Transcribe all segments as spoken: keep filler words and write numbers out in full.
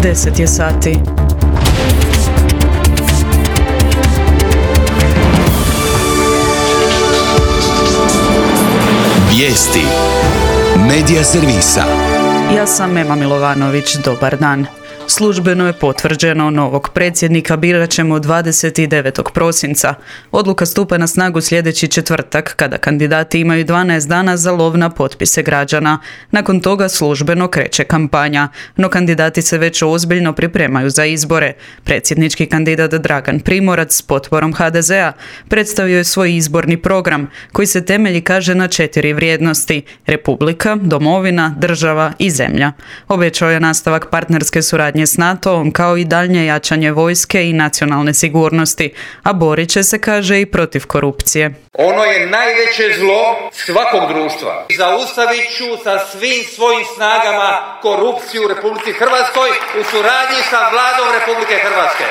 deset je sati. Vijesti Medija servisa. Ja sam Ema Milovanović, dobar dan. Službeno je potvrđeno, novog predsjednika birat ćemo dvadeset devetog prosinca. Odluka stupa na snagu sljedeći četvrtak, kada kandidati imaju dvanaest dana za lov na potpise građana. Nakon toga službeno kreće kampanja, no kandidati se već ozbiljno pripremaju za izbore. Predsjednički kandidat Dragan Primorac s potporom ha de zea predstavio je svoj izborni program, koji se temelji, kaže, na četiri vrijednosti: Republika, domovina, država i zemlja. Obećao je nastavak partnerske suradnje s NATO-om, kao i daljnje jačanje vojske i nacionalne sigurnosti, a borit će se, kaže, i protiv korupcije. Ono je najveće zlo svakog društva. Zaustavit ću sa svim svojim snagama korupciju u Republici Hrvatskoj u suradnji sa Vladom Republike Hrvatske.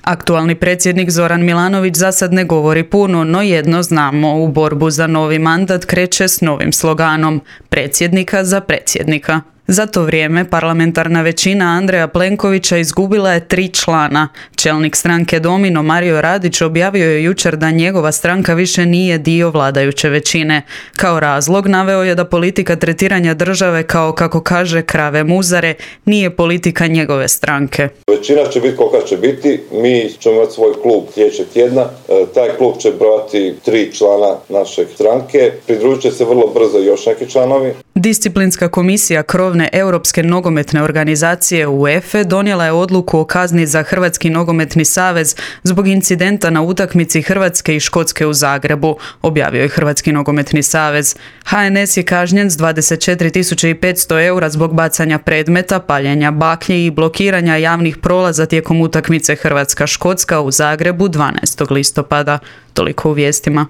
Aktualni predsjednik Zoran Milanović za sad ne govori puno, no jedno znamo: u borbu za novi mandat kreće s novim sloganom: predsjednika za predsjednika. Za to vrijeme parlamentarna većina Andreja Plenkovića izgubila je tri člana. Čelnik stranke Domino Mario Radić objavio je jučer da njegova stranka više nije dio vladajuće većine. Kao razlog naveo je da politika tretiranja države kao, kako kaže, krave muzare nije politika njegove stranke. Većina će biti kolika će biti, mi ćemo imati svoj klub sljedećeg tjedna. Taj klub će brojati tri člana naše stranke, pridružit će se vrlo brzo još neki članovi. Disciplinska komisija krovne Europske nogometne organizacije UEFA donijela je odluku o kazni za Hrvatski nogometni savez zbog incidenta na utakmici Hrvatske i Škotske u Zagrebu, objavio je Hrvatski nogometni savez. ha en es je kažnjen s dvadeset četiri tisuće petsto eura zbog bacanja predmeta, paljenja baklji i blokiranja javnih prolaza tijekom utakmice Hrvatska-Škotska u Zagrebu dvanaestog listopada. Toliko u vijestima.